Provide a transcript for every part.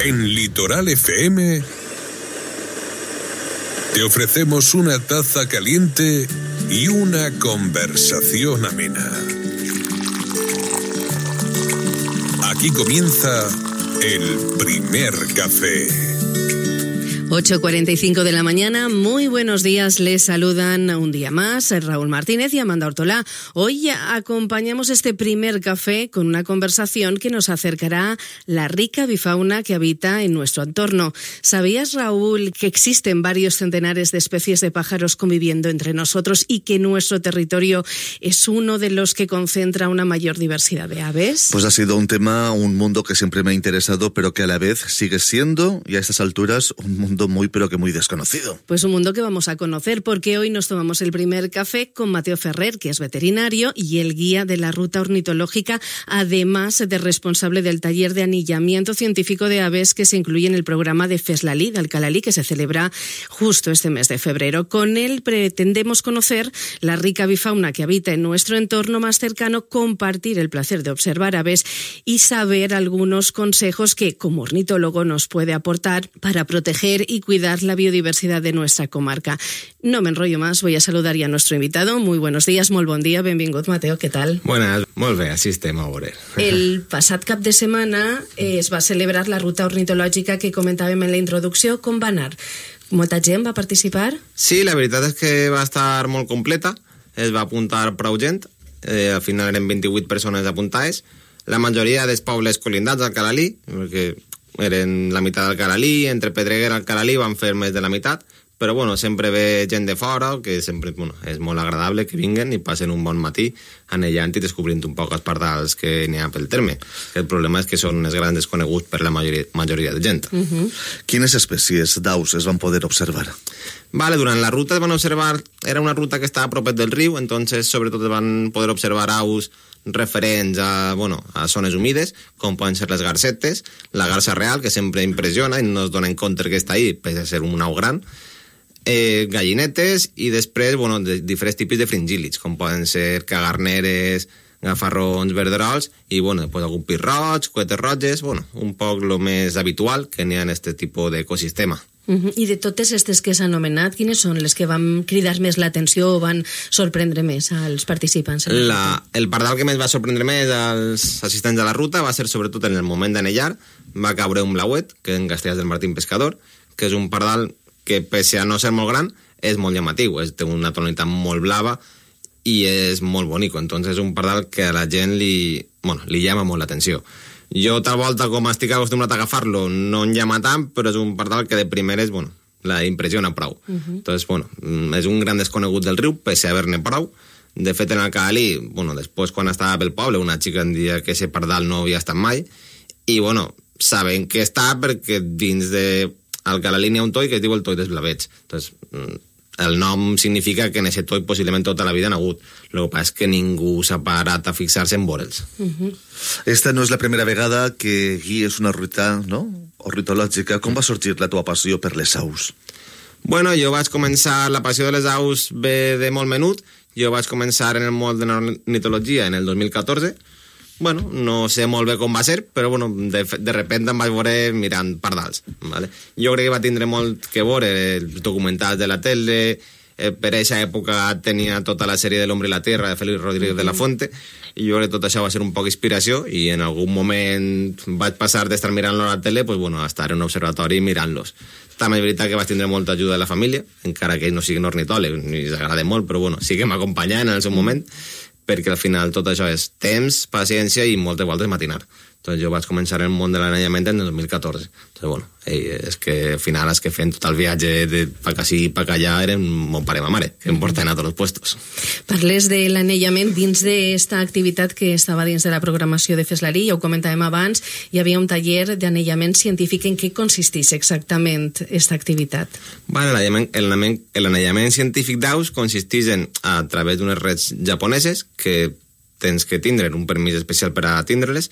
En Litoral FM te ofrecemos una taza caliente y una conversación amena. Aquí comienza el primer café. 8:45 de la mañana, muy buenos días, les saludan un día más Raúl Martínez y Amanda Ortolá. Hoy acompañamos este primer café con una conversación que nos acercará la rica bifauna que habita en nuestro entorno. ¿Sabías, Raúl, que existen varios centenares de especies de pájaros conviviendo entre nosotros y que nuestro territorio es uno de los que concentra una mayor diversidad de aves? Pues ha sido un tema, un mundo que siempre me ha interesado, pero que a la vez sigue siendo, y a estas alturas, un mundo muy pero que muy desconocido. Pues un mundo que vamos a conocer porque hoy nos tomamos el primer café con Mateo Ferrer, que es veterinario y el guía de la ruta ornitológica, además de responsable del taller de anillamiento científico de aves que se incluye en el programa de FESLALI de Alcalalí, que se celebra justo este mes de febrero. Con él pretendemos conocer la rica bifauna que habita en nuestro entorno más cercano, compartir el placer de observar aves y saber algunos consejos que como ornitólogo nos puede aportar para proteger y cuidar la biodiversidad de nuestra comarca. No me enrollo más, voy a saludar ya a nuestro invitado. Muy buenos días, molt bon dia, benvingut, Mateo, què tal? Buenas, molt bé, així estem a veure. El passat cap de setmana es va celebrar la ruta ornitològica que comentàvem en la introducció. Com va anar? Molta gent va participar? Sí, la veritat és que va estar molt completa, es va apuntar prou gent, al final eren 28 persones apuntades, la majoria dels pobles colindats al Alcalalí, perquè eren la meitat d'Alcalalí, entre Pedreguer i Alcalalí van fer més de la meitat, però bueno, sempre ve gent de fora, que sempre és molt agradable que vinguen i passen un bon matí anellant i descobrint un poc els pardals que n'hi ha pel terme. El problema és que són els grans desconeguts per la majoria de gent. Quines espècies d'aus es van poder observar? Vale, durant la ruta es van observar, era una ruta que estava a propet del riu, entonces sobretot es van poder observar aus referents a zones humides, com poden ser les garcetes, la garça real, que sempre impressiona i no es donen compte que està ahí, pese a ser un au gran, gallinetes i després, diferents tipus de fringílids, com poden ser cagarneres, gafarrons, verderols i, després algun pit roig, cuetes roges, un poc el més habitual que n'hi ha en aquest tipus d'ecosistema. I de totes aquestes que s'han anomenat, quines són les que van cridar més l'atenció o van sorprendre més als participants? El pardal que més va sorprendre més als assistents a la ruta va ser sobretot en el moment d'anellar, va caure un blauet, que en Castellars del Martín Pescador, que és un pardal que, pese a no ser molt gran, és molt llamatiu, té una tonalitat molt blava i és molt bonic, entonces és un pardal que a la gent li llama molt l'atenció. Jo, tal volta, com estic acostumat a agafar-lo, no em llama tant, però és un pardal que de primeres, la impressiona prou. Entonces, és un gran desconegut del riu, pese a haver-ne prou. De fet, en Alcalalí, després, quan estava pel poble, una xica em deia que ese pardal no havia estat mai, i, saben que està perquè dins de Alcalalí n'hi ha un toi que es diu el toi dels blavets. Entonces, el nom significa que en aquest toi possiblement tota la vida n'ha hagut. El que passa és que ningú s'ha parat a fixar-se en veure'ls. Esta no és la primera vegada que guies una ruta, no?, ornitològica. Com va sorgir la teva passió per les aus? Jo vaig començar, la passió de les aus ve de molt menut. Jo vaig començar en el món de l'ornitologia en el 2014. No sé molt bé com va ser, però de repente em vaig veure mirant pardals. Vale? Jo crec que va tindre molt que veure els documentals de la tele. Per aquesta època tenia tota la sèrie de l'Hombre i la Tierra de Félix Rodríguez de la Fuente, i jo crec que tot això va ser un poc inspiració, i en algun moment vaig passar d'estar mirant-los a la tele a estar en un observatori mirant-los. També és veritat que vaig tindre molta ajuda de la família, encara que ells no siguin ornitòlegs, ni els agrada molt, però sí que m'acompanyaven en el seu moment, perquè al final tot això és temps, paciència i moltes voltes matinar. Entonces jo vaig començar en el món de l'anellament en el 2014. Entonces, és que al final és que fent tot el viatge de pa ací i pa allà eren mon pare i ma mare, que em porten a tots els puestos. Parles de l'anellament dins d'esta activitat que estava dins de la programació de FESLALI, ja ho comentàvem abans, hi havia un taller d'anellament científic. En què consisteix exactament aquesta activitat? L'anellament científic d'aus consisteix a través d'unes reds japoneses que tens que tindre un permís especial per a tindre-les.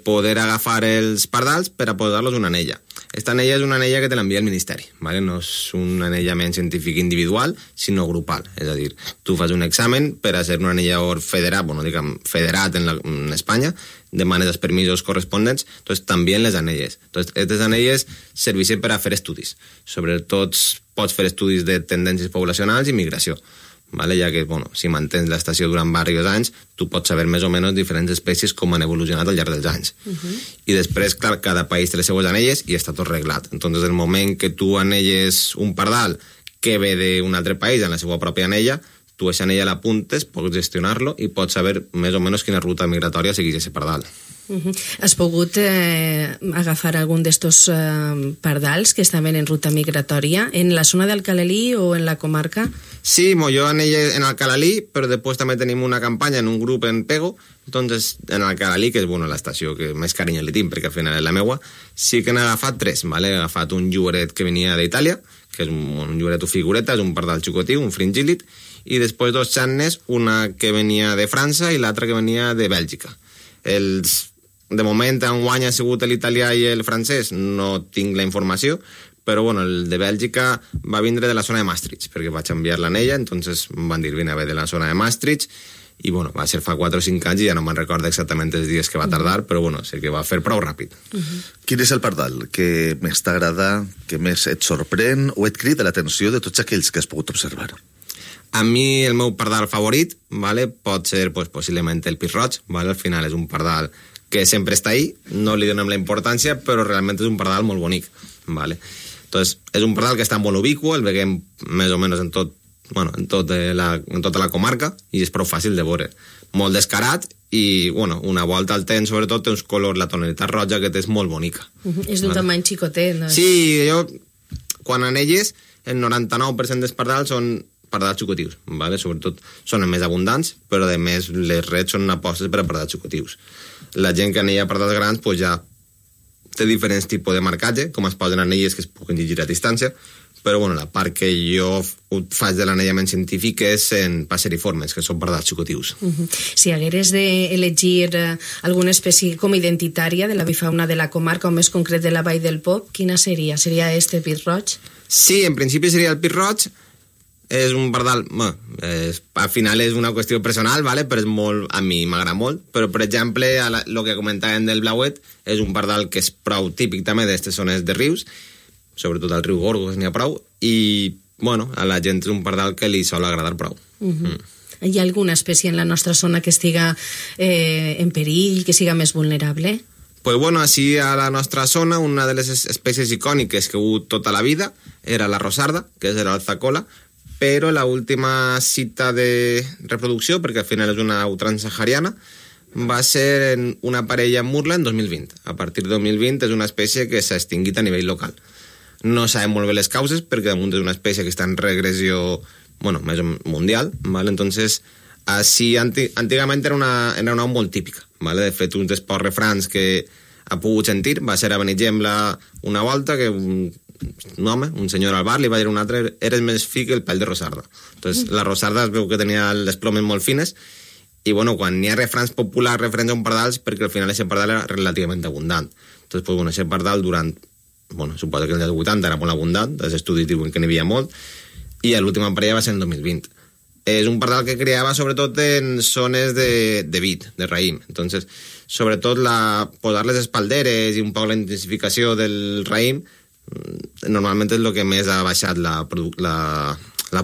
poder agafar els pardals per a posar-los una anella. Esta anella és una anella que te l'envia el Ministeri, ¿vale? No és un anellament científic individual, sinó grupal. És a dir, tu fas un examen per a ser un anellador federat, bueno, diguem, federat en Espanya, demanes els permisos corresponents, entonces també les anelles. Entonces, aquestes anelles serveixen per a fer estudis. Sobretot pots fer estudis de tendències poblacionals i migració. Vale? Ja que, bueno, si mantens l'estació durant diversos anys, tu pots saber més o menys diferents espècies com han evolucionat al llarg dels anys. I després, clar, cada país té les seues anelles i està tot reglat. Entonces, el moment que tu anelles un pardal que ve d'un altre país en la seva pròpia anella, tu aquesta anella l'apuntes, pots gestionar-lo i pots saber més o menys quina ruta migratòria segueix aquest pardal. Has pogut agafar algun d'estos pardals que estaven en ruta migratòria en la zona d'Alcalalí o en la comarca? Sí, jo anelles en Alcalalí, però després també tenim una campanya en un grup en Pego, entonces en Alcalalí, que és l'estació que més carinyo li tinc, perquè al final és la meua, sí que n'he agafat 3, ¿vale? He agafat un lloret que venia d'Itàlia, que és un lloret o figureta, és un pardal xucotiu, un fringíl·lid, i després 2 xannes, una que venia de França i l'altra que venia de Bèlgica. De moment, enguany ha sigut l'italià i el francès, no tinc la informació, però bueno, el de Bèlgica va vindre de la zona de Maastricht, perquè vaig enviar l'anella, entonces em van dir vine a ve de la zona de Maastricht, i bueno, va ser fa 4 o 5 anys i ja no me'n recordo exactament els dies que va tardar, però bueno, sé que va fer prou ràpid. Quin és el pardal que més t'agrada, que més et sorprèn o et crida l'atenció de tots aquells que has pogut observar? A mi el meu pardal favorit, ¿vale? Pot ser pues, possiblement el pit roig, ¿vale? Al final és un pardal que sempre està ahí, no li donem la importància, però realment és un pardal molt bonic, ¿vale? Entonces, és un pardal que està molt ubicuo, el veiem més o menys en tota la comarca i és prou fàcil de veure. Molt descarat i, bueno, una volta al temps, sobretot, té uns colors, la tonalitat roja que és molt bonica. És d'un tamany xicotet, no? Sí, quan anelles, el 99% dels pardals són pardals xucotius, ¿vale? Sobretot són els més abundants, però a més les reds són apostes per a pardals xucotius. La gent que anella pardals grans pues ja té diferents tipus de marcatge, com es posen anelles que es puguin llegir a distància, però bueno, la part que jo faig de l'anellament científic és en passeriformes, que són pardals xucotius. Si hagueres d'elegir alguna espècie com identitària de la bifauna de la comarca, o més concret de la Vall del Po, quina seria? Seria este pit roig? Sí, en principi seria el pit roig. És un pardal, al final és una qüestió personal, ¿vale? Però és molt, a mi m'agrada molt, però per exemple el que comentàvem del blauet és un pardal que és prou típic també d'aquestes zones de rius, sobretot al riu Gorgos n'hi ha prou, i bueno, a la gent és un pardal que li sol agradar prou. Hi ha alguna espècie en la nostra zona que estiga en perill, que siga més vulnerable? Pues bueno, així a la nostra zona una de les espècies icòniques que ha hagut tota la vida era la rosarda, que és l'alzacola, però la última cita de reproducció, perquè al final és una au transsahariana, va ser en una parella en Murla en 2020. A partir de 2020 és una espècie que s'ha extingit a nivell local. No sabem molt bé les causes, perquè damunt és una espècie que està en regressió, bueno, més mundial, ¿vale? Entonces, així, antigament era una au molt típica, ¿vale? De fet, un dels pocs refrans que ha pogut sentir va ser a Benigembla una volta que un home, un senyor al bar, li va dir a un altre eres més fi que el pèl de rosarda. Entonces, la rosarda es veu que tenia les plomes molt fines i, bueno, quan n'hi ha refrans populars referents a un pardal, perquè al final aquest pardal era relativament abundant. Entonces, pues, bueno, aquest pardal durant, bueno, suposo que els 80 era molt abundant, els estudis diuen que n'hi havia molt, i l'última parella va ser en 2020. És un pardal que criava sobretot en zones de vid, de raïm. Entonces, sobretot posar les espalderes i un poc la intensificació del raïm normalment és el que més ha baixat la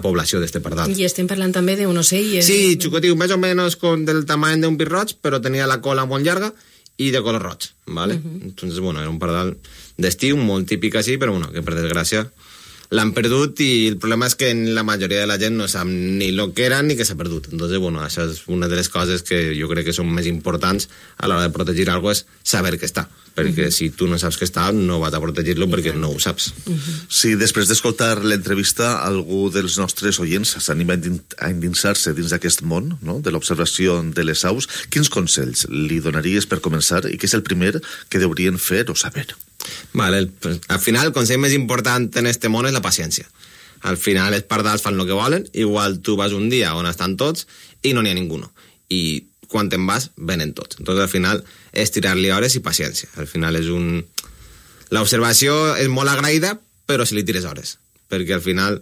població d'este pardal. I estem parlant també d'un ocell? Sí, xucotiu, més o menys del tamany d'un pit roig, però tenia la cola molt llarga i de color roig, ¿vale? Entonces, bueno, era un pardal d'estiu, molt típic així, però bueno, que per desgràcia l'han perdut i el problema és que la majoria de la gent no sap ni el que era ni que s'ha perdut. Entonces, bueno, això és una de les coses que jo crec que són més importants a l'hora de protegir alguna cosa, és saber que està. Perquè si tu no saps que està, no vas a protegir-lo perquè no ho saps. Si després d'escoltar l'entrevista algú dels nostres oients s'anima a endinsar-se dins d'aquest món, no?, de l'observació de les aus, quins consells li donaries per començar i què és el primer que deurien fer o saber? Vale, al final el consell més important en este món és la paciència. Al final els pardals fan el que volen, igual tu vas un dia on estan tots i no n'hi ha ningú. I quan te'n vas, venen tots. Entonces, al final, és tirar-li hores i paciència. Al final és l'observació és molt agraïda, però si li tires hores. Perquè al final,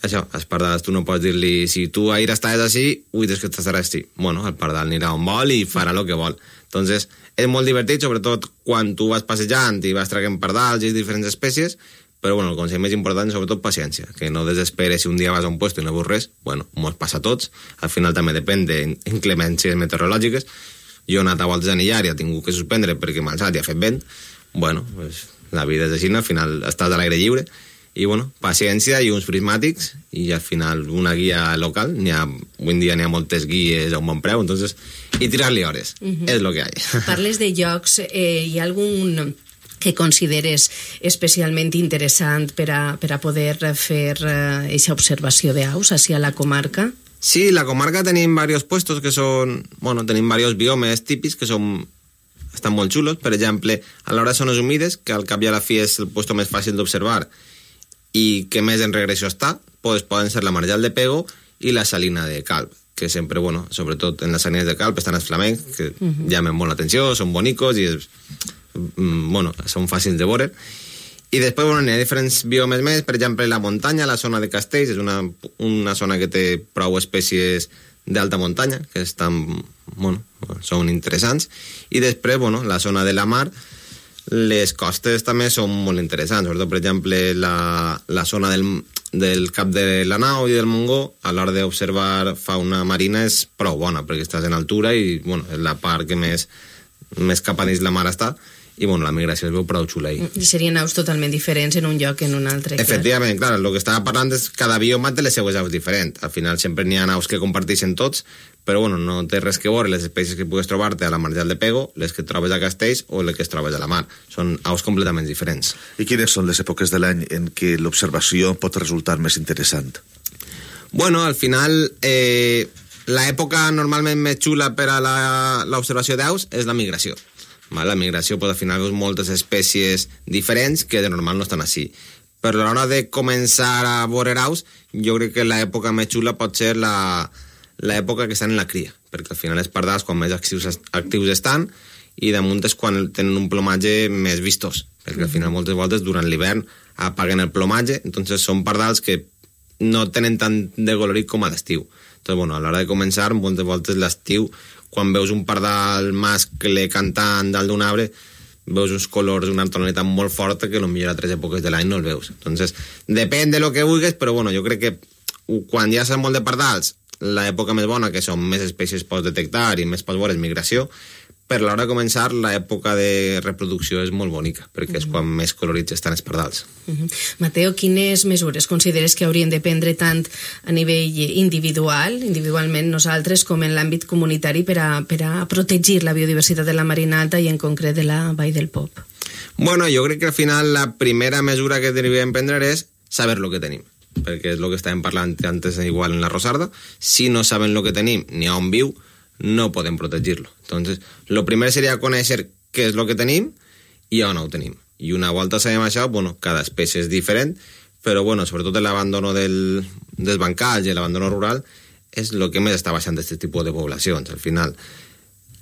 això, els pardals, tu no pots dir-li, si tu ahir estaves així, des que estaràs així. Bueno, el pardal anirà on vol i farà el que vol. Entonces, és molt divertit, sobretot quan tu vas passejant i vas traient pardals i diferents espècies, però bueno, el consell més important és sobretot paciència, que no desesperes si un dia vas a un puesto i no veus res, bueno, mos passa a tots, al final també depèn d'inclemències meteorològiques. Jo he anat a voltes a anillar i he tingut que suspendre perquè m'ha alçat i ha fet vent. Bueno, pues, la vida és així, al final estàs a l'aire lliure, i bueno, paciència i uns prismàtics, i al final una guia local, avui en dia n'hi ha moltes guies a un bon preu, entonces, i tirar-li hores, és lo que hi ha. Parles de llocs, hi ha algun que consideres especialment interessant per a poder fer aquesta observació d'aus hacia la comarca? Sí, la comarca tenim diversos puestos que són, bueno, tenim diversos biomes típics que estan molt xulos. Per exemple, a l'hora de zones humides, que al cap i a la fi és el puesto més fàcil d'observar i que més en regressió està, pues poden ser la Marjal de Pego i la Salina de Calp, que sempre, bueno, sobretot en les salines de Calp estan els flamencs, que llamen molt l'atenció, són bonicos i bueno, són fàcils de veure. I després, bueno, n'hi ha diferents biomes més, per exemple, la muntanya, la zona de Castells, és una zona que té prou espècies d'alta muntanya, que estan, bueno, són interessants. I després, bueno, la zona de la mar, les costes també són molt interessants, sobretot, per exemple, la zona del cap de la Nau i del Montgó, a l'hora d'observar fauna marina és prou bona, perquè estàs en altura i, bueno, és la part que més cap a dins la mar està, i bueno, la migració es veu prou xula ahí. I serien aus totalment diferents en un lloc que en un altre. Efectivament, clar, el que estava parlant és cada bioma té les seues aus diferents. Al final sempre n'hi ha aus que comparteixen tots, però bueno, no té res que veure les espècies que pugues trobar-te a la Marjal de Pego, les que trobes a Castells o les que trobes a la mar. Són aus completament diferents. I quines són les èpoques de l'any en què l'observació pot resultar més interessant? Bueno, al final, l'època normalment més xula per a l'observació d'aus és la migració. La migració, pues, al final veus moltes espècies diferents que de normal no estan així. Però a l'hora de començar a veure aus, jo crec que l'època més xula pot ser l'època que estan en la cria, perquè al final els pardals quan més actius estan i damunt és quan tenen un plomatge més vistós, perquè al final moltes voltes durant l'hivern apaguen el plomatge, entonces són pardals que no tenen tant de colorit com a l'estiu. Entonces, bueno, a l'hora de començar, moltes voltes l'estiu, quan veus un pardal mascle cantant dalt d'un arbre, veus uns colors, una tonalitat molt forta que potser a altres èpoques de l'any no el veus. Entonces, depèn de lo que vulguis, però bueno, jo crec que quan ja saps molt de pardals, l'època més bona, que són més espècies pots detectar i més pots veure és migració, per l'hora de començar l'època de reproducció és molt bonica, perquè és quan més colorits estan els pardals. Mateo, quines mesures consideres que haurien de prendre tant a nivell individualment nosaltres, com en l'àmbit comunitari per a protegir la biodiversitat de la Marina Alta i en concret de la Vall del Pop? Bueno, jo crec que al final la primera mesura que devem prendre és saber lo que tenim, perquè és el que estàvem parlant antes igual en la Rosarda. Si no sabem lo que tenim ni on viu, no podem protegir-lo. Entonces, lo primer seria conèixer què és lo que tenim i on ho tenim. I una volta sabem això, bueno, cada espècie és diferent, però bueno, sobretot l'abandono dels bancals i l'abandono rural és el que més està baixant d'aquest tipus de poblacions, al final.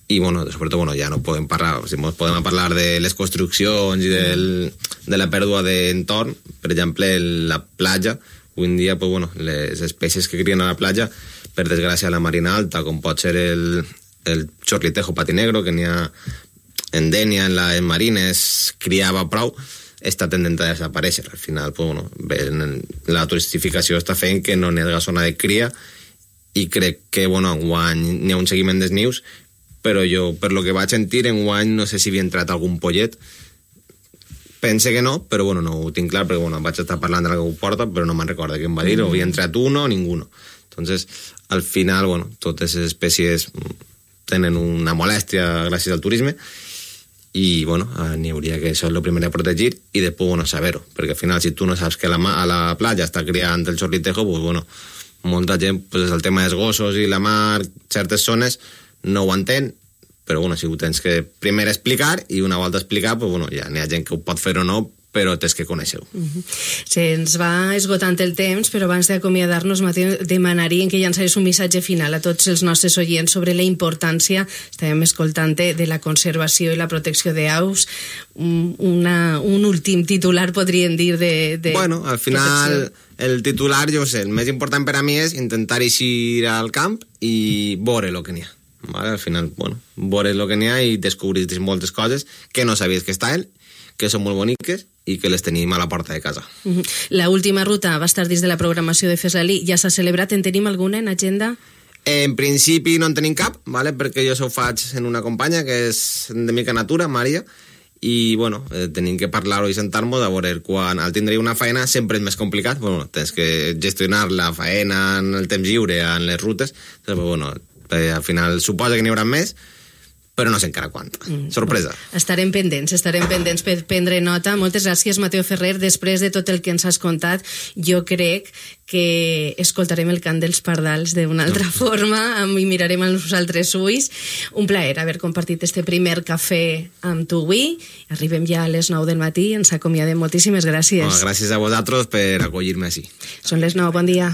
I bueno, sobretot, bueno, ja no podem parlar, o sigui, podem parlar de les construccions i de la pèrdua d'entorn, per exemple, la platja. Avui en dia, pues, bueno, les espècies que crien a la platja, per desgràcia a la Marina Alta, com pot ser el chorlitejo patinegro, que n'hi ha en Dénia, en les marines, criava prou, està tendent a desaparèixer. Al final, pues, bueno, la turistificació està fent que no n'hi ha zona de cria, i crec que, bueno, enguany n'hi ha un seguiment dels nius, però jo, per lo que vaig sentir, enguany no sé si havia entrat algun pollet. Pense que no, però bueno, no ho tinc clar, perquè bueno, vaig estar parlant de la que ho porta, però no me'n recordo què em va dir, o havia entrat uno o ninguno. Entonces, al final, bueno, totes les espècies tenen una molèstia gràcies al turisme i, bueno, n'hi hauria que això és el primer a protegir i després, bueno, saber-ho, perquè al final, si tu no saps que a la platja està criant el chorlitejo, pues, bueno, molta gent, pues, el tema dels gossos i la mar, certes zones, no ho entén, però, bueno, si ho tens que primer explicar i una volta explicar, pues, bueno, ja n'hi ha gent que ho pot fer o no però tens que conèixer-ho. Se'ns va esgotant el temps, però abans d'acomiadar-nos, Mateu, demanaríem que llançares un missatge final a tots els nostres oients sobre la importància, estàvem escoltant, de la conservació i la protecció d'aus. Un últim titular, podríem dir, de Bueno, al final, el titular, jo sé, el més important per a mi és intentar eixir al camp i veure el que n'hi ha. Vale? Al final, bueno, veure el que n'hi ha i descobrir moltes coses que no sabies que estaven, que són molt boniques i que les tenim a la porta de casa. La última ruta va estar dins de la programació de Fesalí. Ja s'ha celebrat? En tenim alguna en agenda? En principi no en tenim cap, ¿vale? Perquè jo ho faig en una companya que és de Mica Natura, Maria, i bueno, tenim que parlar-ho i sentar-nos a veure quan al tindre una faena sempre és més complicat, bueno, tens que gestionar la faena en el temps lliure, en les rutes, però bueno, al final suposa que n'hi haurà més, però no sé encara quant. Sorpresa. Estarem pendents per prendre nota. Moltes gràcies, Mateu Ferrer. Després de tot el que ens has contat, jo crec que escoltarem el cant dels pardals d'una altra forma i mirarem als altres ulls. Un plaer haver compartit este primer cafè amb tu avui. Arribem ja a les 9 del matí, ens acomiadem. Moltíssimes gràcies. Gràcies a vosaltres per acollir-me així. Són les 9, bon dia.